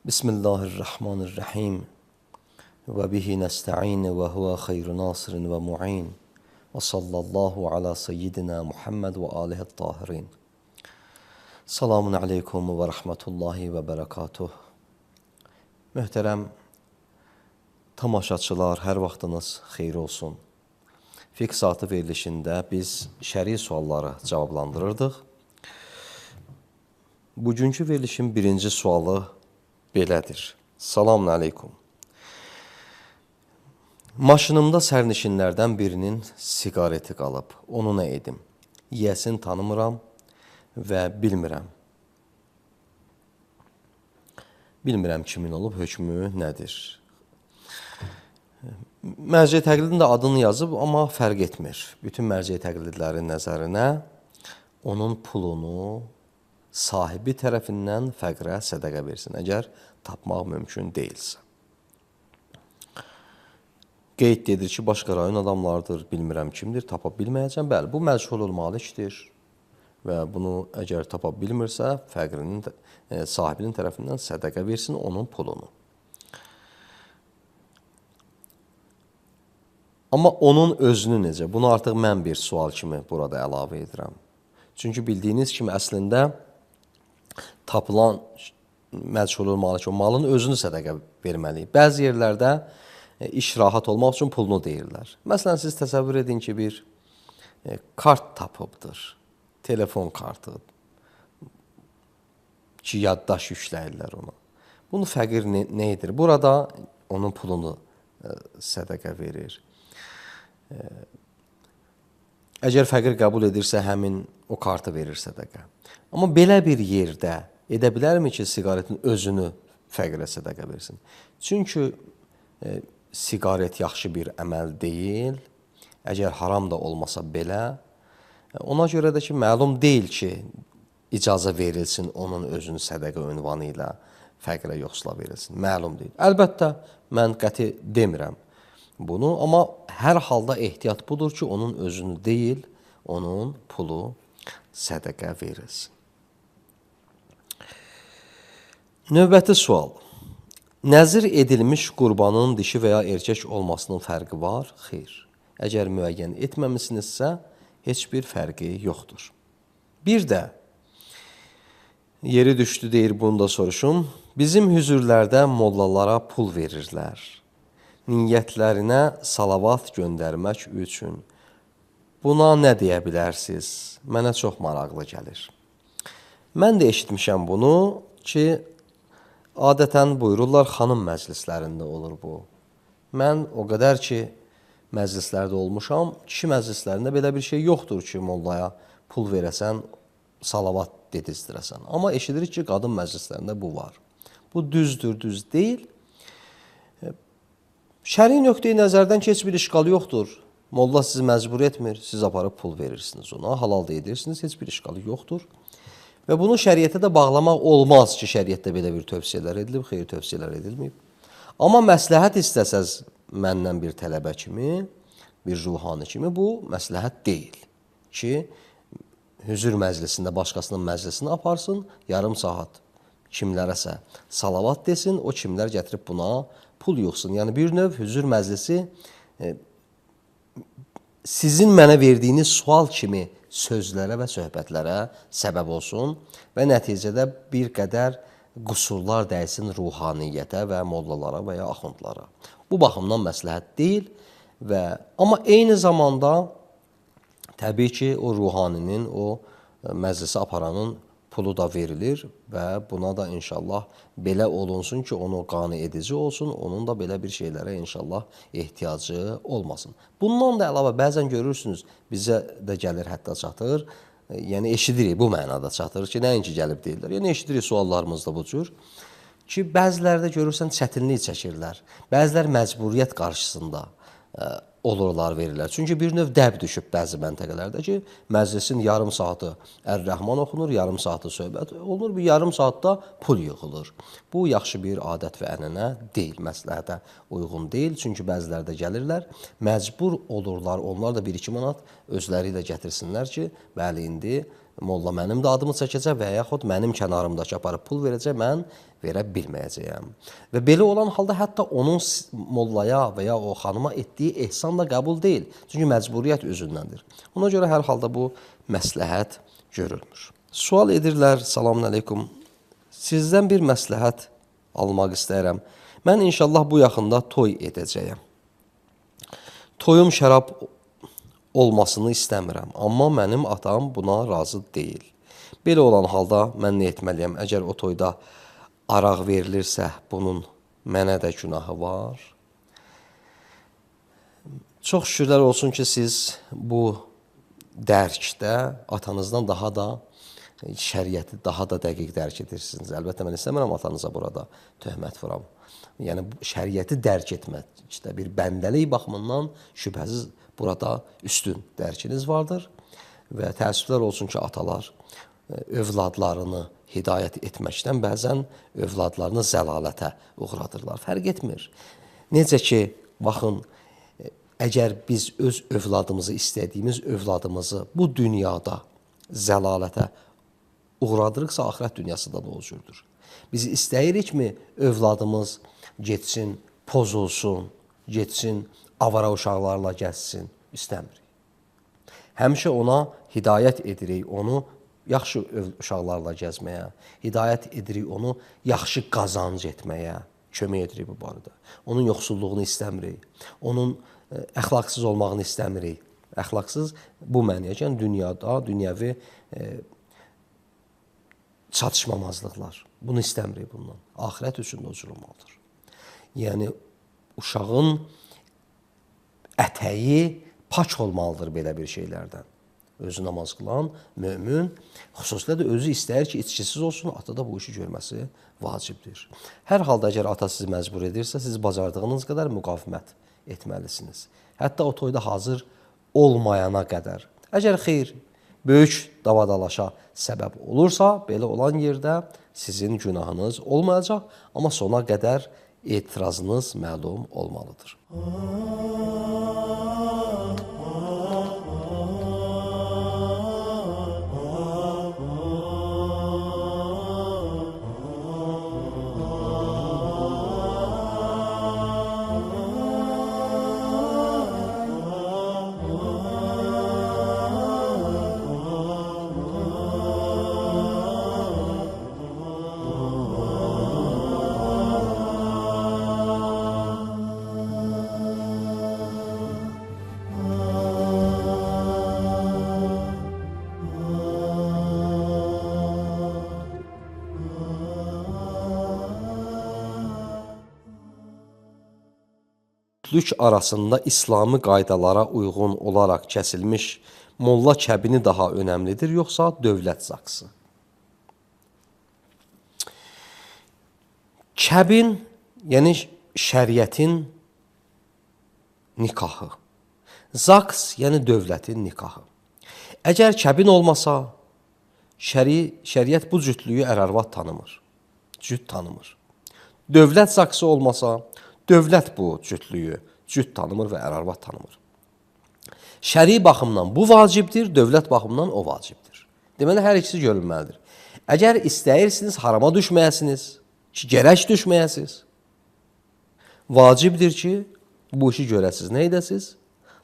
Bismillahirrahmanirrahim. Ve bihi nesta'in ve huve hayru nasirin ve mu'in. Ve sallallahu ala seyyidina Muhammed ve alihi tahirin. Selamun aleykum ve rahmetullahi ve berekatuh. Möhtərəm tamaşaçılar, hər vaxtınız xeyir olsun. Fiqh saatı verilişində biz şəri sualları cavablandırırdıq. Bugünkü verilişin birinci sualı belədir. Selamun aleykum. Maşınımda sərnişinlərdən birinin siqareti qalıb. Onu nə edim? Yiyəsini tanımıram və bilmirəm. Bilmirəm kimin olub, hökmü nədir? Mərciə təqlidin də adını yazıb, amma fərq etmir. Bütün mərciə təqlidlərin nəzərinə onun pulunu sahibi tərəfindən fəqrə sədəqə versin, əgər tapmaq mümkün deyilsə. Qeyd edir ki, başqa rayon adamlardır, bilmirəm kimdir, tapa bilməyəcəm. Bəli, bu məchulul malikdir və bunu əgər tapa bilmirsə, fəqrinin sahibinin tərəfindən sədəqə versin onun pulunu. Amma onun özünü necə? Bunu artıq mən bir sual kimi burada əlavə edirəm. Çünki bildiyiniz kimi əslində tapılan məchulul malik o malın özünü sədəqə verməliyik. Bəzi yerlərdə iş rahat olmaq üçün pulunu deyirlər. Məsələn, siz təsəvvür edin ki, bir kart tapıbdır. Telefon kartı ki, yaddaş yükləyirlər ona. Bunu fəqir nə edir? Burada onun pulunu sədəqə verir. Əgər fəqir qəbul edirsə, həmin o kartı verir sədəqə. Amma belə bir yerdə edə bilərmi ki, siqaretin özünü fəqirə sədəqə versin? Çünki siqaret yaxşı bir əməl deyil. Əgər haram da olmasa belə, ona görə də ki, məlum deyil ki, icazə verilsin onun özünü sədəqə ünvanı ilə fəqirə yoxsula verilsin. Məlum deyil. Əlbəttə, mən qəti demirəm bunu, amma hər halda ehtiyat budur ki, onun özünü deyil, onun pulu sədəqə verilsin. Növbəti sual. Nəzir edilmiş qurbanın dişi və ya erkək olmasının fərqi var? Xeyr. Əgər müəyyən etməmisinizsə, heç bir fərqi yoxdur. Bir də, yeri düşdü deyir, bunu da soruşum. Bizim hüzürlərdə mollalara pul verirlər. Niyyətlərinə salavat göndərmək üçün. Buna nə deyə bilərsiniz? Mənə çox maraqlı gəlir. Mən də eşitmişəm bunu ki, adətən buyururlar, xanım məclislərində olur bu. Mən o qədər ki, məclislərdə olmuşam, kişi məclislərində belə bir şey yoxdur ki, mollaya pul verəsən, salavat dedizdirəsən. Amma eşidirik ki, qadın məclislərində bu var. Bu düzdür, düz deyil. Şəri nöqteyi nəzərdən heç bir işqal yoxdur. Molla sizi məcbur etmir, siz aparıb pul verirsiniz ona, halal da edirsiniz, heç bir işqalı yoxdur. Və bunu şəriətə də bağlamaq olmaz ki, şəriətdə belə bir tövsiyələr edilib, xeyir tövsiyələr edilməyib. Amma məsləhət istəsəz məndən bir tələbə kimi, bir ruhani kimi, bu məsləhət deyil ki, hüzür məclisində başqasının məclisini aparsın, yarım saat kimlərəsə salavat desin, o kimlər gətirib buna pul yoxsun. Yəni bir növ hüzür məclisi sizin mənə verdiyiniz sual kimi sözlərə və söhbətlərə səbəb olsun və nəticədə bir qədər qüsurlar dəysin ruhaniyyətə və mollalara və ya axundlara. Bu baxımdan məsləhət deyil amma eyni zamanda təbii ki, o ruhaninin, o məclisi aparanın pulu da verilir və buna da inşallah belə olunsun ki, onu qane edici olsun, onun da belə bir şeylərə inşallah ehtiyacı olmasın. Bundan da əlavə bəzən görürsünüz, bizə də gəlir, hətta çatır, yəni eşidirik, bu mənada çatır ki, nəinki gəlib deyirlər. Yəni eşidirik suallarımızda bu cür ki, bəzilərdə görürsən çətinlik çəkirlər, bəzilər məcburiyyət qarşısında olurlar, verirlər. Çünki bir növ dəb düşüb bəzi məntəqələrdə ki, məclisin yarım saatı Ər-Rəhman oxunur, yarım saatı söhbət olunur, bir yarım saatda pul yığılır. Bu, yaxşı bir adət və ənənə deyil, məsləhətə uyğun deyil. Çünki bəzilərdə gəlirlər, məcbur olurlar, onlar da 1-2 manat özləri ilə gətirsinlər ki, bəli, indi molla mənim də adımı çəkəcək və yaxud mənim kənarımdakı aparıb pul verəcək, mən verə bilməyəcəyəm. Və belə olan halda hətta onun mollaya və ya o xanıma etdiyi ehsan da qəbul deyil. Çünki məcburiyyət özündəndir. Ona görə hər halda bu məsləhət görülmür. Sual edirlər, salamun əleykum, sizdən bir məsləhət almaq istəyirəm. Mən inşallah bu yaxında toy edəcəyəm. Toyum şərab olmasını istəmirəm, amma mənim atam buna razı deyil. Belə olan halda mən nə etməliyəm? Əgər o toyda araq verilirsə, bunun mənə də günahı var. Çox şükürlər olsun ki, siz bu dərkdə atanızdan daha da şəriəti daha da dəqiq dərk edirsiniz. Əlbəttə, mən istəmirəm atanıza burada töhmət vuram. Yəni, şəriəti dərk etməkdə bir bəndəlik baxımından şübhəsiz burada üstün dərkiniz vardır. Və təəssüflər olsun ki, atalar övladlarını hidayət etməkdən bəzən övladlarını zəlalətə uğradırlar. Fərq etmir. Necə ki, baxın, əgər biz öz övladımızı, istədiyimiz övladımızı bu dünyada zəlalətə uğradırıqsa, axirət dünyasında da o cürdür. Biz istəyirikmi övladımız getsin, pozulsun, getsin, avara uşaqlarla gəzsin? İstəmirik. Həmişə ona hidayət edirik, onu yaxşı uşaqlarla gəzməyə, hidayət edirik onu yaxşı qazanc etməyə, kömək edirik bu barədə. Onun yoxsulluğunu istəmirik, onun əxlaqsız olmağını istəmirik. Əxlaqsız bu mənəyə gələn dünyada, dünyəvi çatışmamazlıqlar. Bunu istəmirik bundan. Axirət üçün də o cür olmalıdır. Yəni, uşağın ətəyi pak olmalıdır belə bir şeylərdən. Özü namaz qılan mömin, xüsusilə də özü istəyir ki, içkisiz olsun, ata da bu işi görməsi vacibdir. Hər halda əgər ata sizi məcbur edirsə, siz bacardığınız qədər müqavimət etməlisiniz. Hətta o toyda hazır olmayana qədər. Əgər xeyr, böyük davadalaşa səbəb olursa, belə olan yerdə sizin günahınız olmayacaq, amma sona qədər etirazınız məlum olmalıdır. Cütlük arasında İslami qaydalara uyğun olaraq kəsilmiş molla kəbini daha önəmlidir, yoxsa dövlət zaksı? Kəbin, yəni şəriətin nikahı. Zaks, yəni dövlətin nikahı. Əgər kəbin olmasa, şəriət bu cütlüyü ər-arvad tanımır, cüt tanımır. Dövlət zaksı olmasa, dövlət bu cütlüyü cüt tanımır və ər-arvad tanımır. Şəri baxımdan bu vacibdir, dövlət baxımdan o vacibdir. Deməli, hər ikisi görülməlidir. Əgər istəyirsiniz, harama düşməyəsiniz, ki, gərək düşməyəsiniz, vacibdir ki, bu işi görəsiniz. Nə edəsiniz?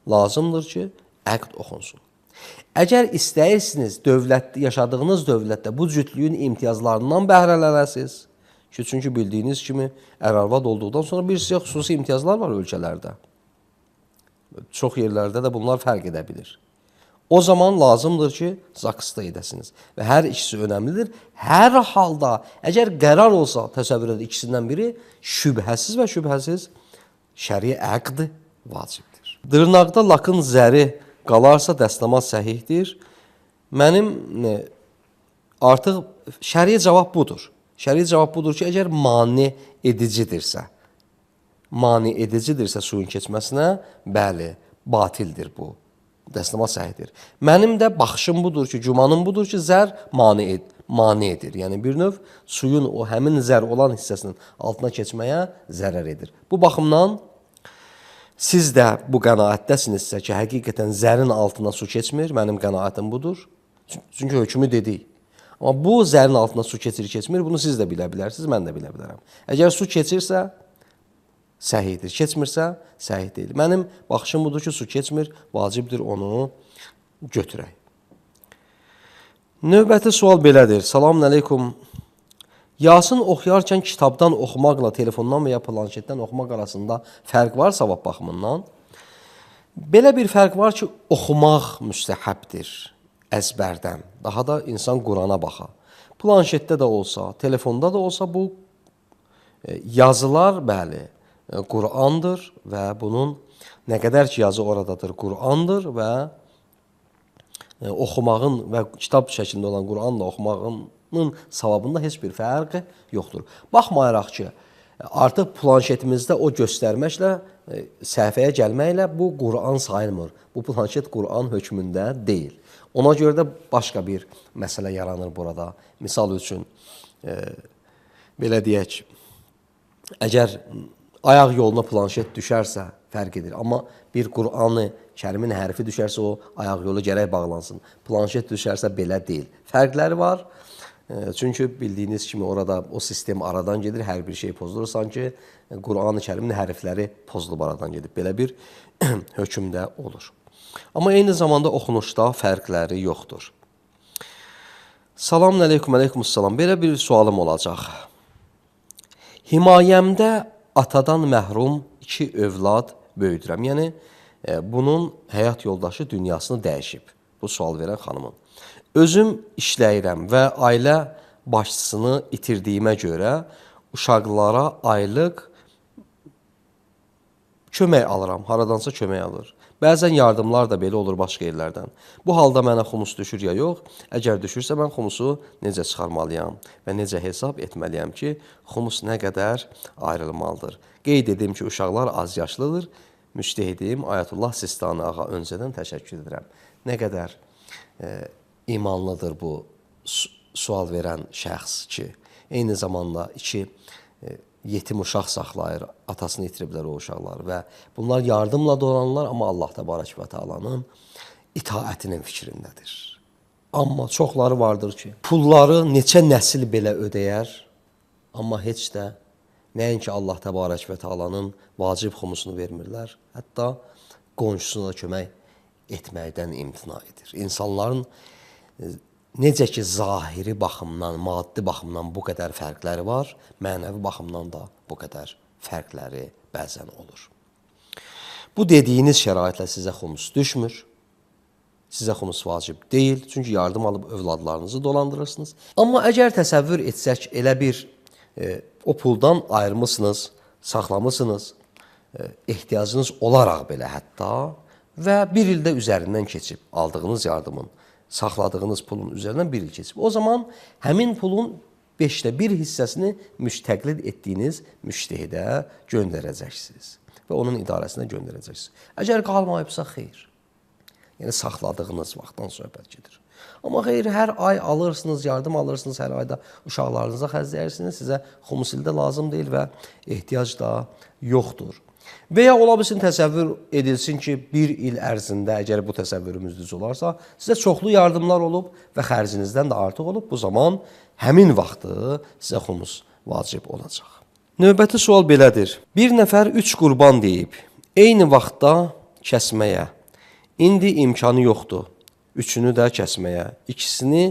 Lazımdır ki, əqd oxunsun. Əgər istəyirsiniz, yaşadığınız dövlətdə bu cütlüyün imtiyazlarından bəhrələnəsiniz, çünki bildiyiniz kimi ər-arvad olduqdan sonra bir sizə xüsusi imtiyazlar var ölkələrdə. Çox yerlərdə də bunlar fərq edə bilir. O zaman lazımdır ki, zaksda edəsiniz. Və hər ikisi önəmlidir. Hər halda, əgər qərar olsa, təsəvvür edin ikisindən biri, şübhəsiz və şübhəsiz şəri əqd vacibdir. Dırnaqda lakın zəri qalarsa dəstəmaz səhihdir. Mənim artıq şəri cavab budur. Şəri cavab budur ki, əgər mane edicidirsə suyun keçməsinə, bəli, batildir bu. Dəstəmaz səhihdir. Mənim də baxışım budur ki, gümanım budur ki, zər mane edir. Yəni, bir növ suyun o həmin zər olan hissəsinin altına keçməyə zərər edir. Bu baxımdan siz də bu qənaətdəsinizsə ki, həqiqətən zərin altına su keçmir, mənim qənaətim budur. Çünki hökmü dedik. Amma bu zərin altında su keçir, keçmir, bunu siz də bilə bilərsiniz, mən də bilə bilərəm. Əgər su keçirsə, səhihdir, keçmirsə, səhih deyil. Mənim baxışım budur ki, su keçmir, vacibdir onu götürək. Növbəti sual belədir. Selamun əleykum. Yasin oxuyarkən kitabdan oxumaqla telefondan və ya planşetdən oxumaq arasında fərq var savab baxımından. Belə bir fərq var ki, oxumaq müstəhəbdir əzbərdən. Daha da insan Qurana baxa. Planşetdə də olsa, telefonda da olsa bu yazılar, bəli, Qurandır və bunun nə qədər ki yazı oradadır, Qurandır və oxumağın və kitab şəklində olan Quranla oxumağın savabında heç bir fərq yoxdur. Baxmayaraq ki, artıq planşetimizdə o göstərməklə, səhifəyə gəlməklə bu Quran sayılmır. Bu planşet Quran hökmündə deyil. Ona görə də başqa bir məsələ yaranır burada. Misal üçün, belə deyək, əgər ayaq yoluna planşet düşərsə fərq edir. Amma bir Qur'an-ı Kərimin hərfi düşərsə o ayaq yolu gərək bağlansın. Planşet düşərsə belə deyil. Fərqləri var. Çünki bildiyiniz kimi orada o sistem aradan gedir, hər bir şey pozulur. Sanki Qur'an-ı Kərimin hərfləri pozulub aradan gedib. Belə bir hökmdə olur. Amma eyni zamanda oxunuşda fərqləri yoxdur. Selamun əleykum, əleykumussalam. Belə bir sualım olacaq. Himayəmdə atadan məhrum 2 övlad böyüdürəm. Yəni, bunun həyat yoldaşı dünyasını dəyişib. Bu sual verən xanımın. Özüm işləyirəm və ailə başçısını itirdiyimə görə uşaqlara aylıq kömək alıram. Haradansa kömək alır. Bəzən yardımlar da belə olur başqa yerlərdən. Bu halda mənə xumus düşür ya yox? Əgər düşürsə mən xumusu necə çıxarmalıyam və necə hesab etməliyəm ki, xumus nə qədər ayrılmalıdır? Qeyd edim ki, uşaqlar az yaşlıdır. Müştehidim Ayətullah Sistani ağa öncədən təşəkkür edirəm. Nə qədər imanlıdır bu sual verən şəxs ki, eyni zamanda 2 yetim uşaq saxlayır, atasını itiriblər o uşaqlar və bunlar yardımla dolanırlar, amma Allah təbarək və təalanın itaətinin fikrindədir. Amma çoxları vardır ki, pulları neçə nəsil belə ödəyər, amma heç də nəinki Allah təbarək və təalanın vacib xumusunu vermirlər, hətta qonşusuna kömək etməkdən imtina edir. İnsanların necə ki, zahiri baxımdan, maddi baxımdan bu qədər fərqləri var, mənəvi baxımdan da bu qədər fərqləri bəzən olur. Bu dediyiniz şəraitlə sizə xumus düşmür, sizə xumus vacib deyil, çünki yardım alıb övladlarınızı dolandırırsınız. Amma əgər təsəvvür etsək, elə bir o puldan ayırmışsınız, saxlamışsınız, ehtiyacınız olaraq belə hətta və bir ildə üzərindən keçib aldığınız yardımın, saxladığınız pulun üzərindən bir il keçib. O zaman həmin pulun 5də 1 hissəsini müstəqlid etdiyiniz müştehidə göndərəcəksiniz və onun idarəsinə göndərəcəksiniz. Əgər qalmayıbsa, xeyr. Yəni, saxladığınız vaxtdan söhbət gedir. Amma xeyr, hər ay alırsınız, yardım alırsınız, hər ayda uşaqlarınıza xərcləyirsiniz, sizə xumus ildə lazım deyil və ehtiyac da yoxdur. Və ya ola bilsin təsəvvür edilsin ki, bir il ərzində, əgər bu təsəvvürümüz düz olarsa, sizə çoxlu yardımlar olub və xərcinizdən də artıq olub. Bu zaman həmin vaxtı sizə xumus vacib olacaq. Növbəti sual belədir. Bir nəfər 3 qurban deyib, eyni vaxtda kəsməyə. İndi imkanı yoxdur, 3-ünü də kəsməyə. İkisini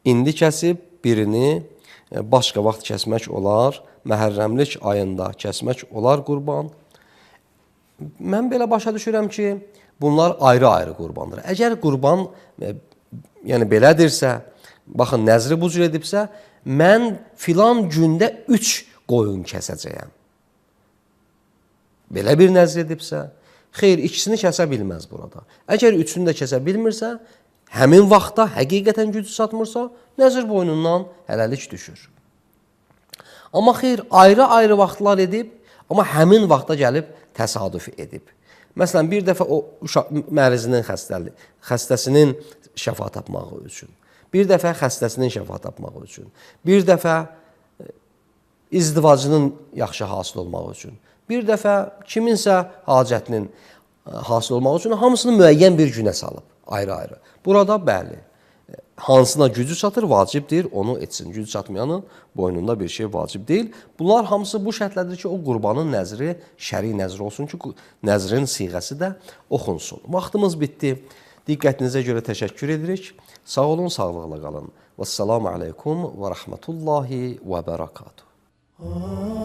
indi kəsib, birini başqa vaxt kəsmək olar, məhərrəmlik ayında kəsmək olar qurban. Mən belə başa düşürəm ki, bunlar ayrı-ayrı qurbandır. Əgər qurban yəni belədirsə, baxın, nəzri bu cür edibsə, mən filan gündə 3 qoyun kəsəcəyəm. Belə bir nəzr edibsə, xeyr, ikisini kəsə bilməz burada. Əgər 3-ünü də kəsə bilmirsə, həmin vaxtda həqiqətən gücü çatmırsa, nəzr boynundan hələlik düşür. Amma xeyr, ayrı-ayrı vaxtlar edib, amma həmin vaxta gəlib təsadüf edib. Məsələn, bir dəfə o mərizinin xəstəsinin şəfa tapmağı üçün, bir dəfə xəstəsinin şəfa tapmağı üçün, bir dəfə izdivacının yaxşı hasıl olmağı üçün, bir dəfə kiminsə hacətinin hasıl olmağı üçün hamısını müəyyən bir günə salıb, ayrı-ayrı. Burada bəli, hansına gücü çatır, vacibdir, onu etsin. Gücü çatmayanın boynunda bir şey vacib deyil. Bunlar hamısı bu şərtlərdir ki, o qurbanın nəzri şəri nəzr olsun ki, nəzrin siğəsi də oxunsun. Vaxtımız bitdi. Diqqətinizə görə təşəkkür edirik. Sağ olun, sağlıqla qalın. Vəssalamu aleykum və rəhmətullahi və bərəkatuhu.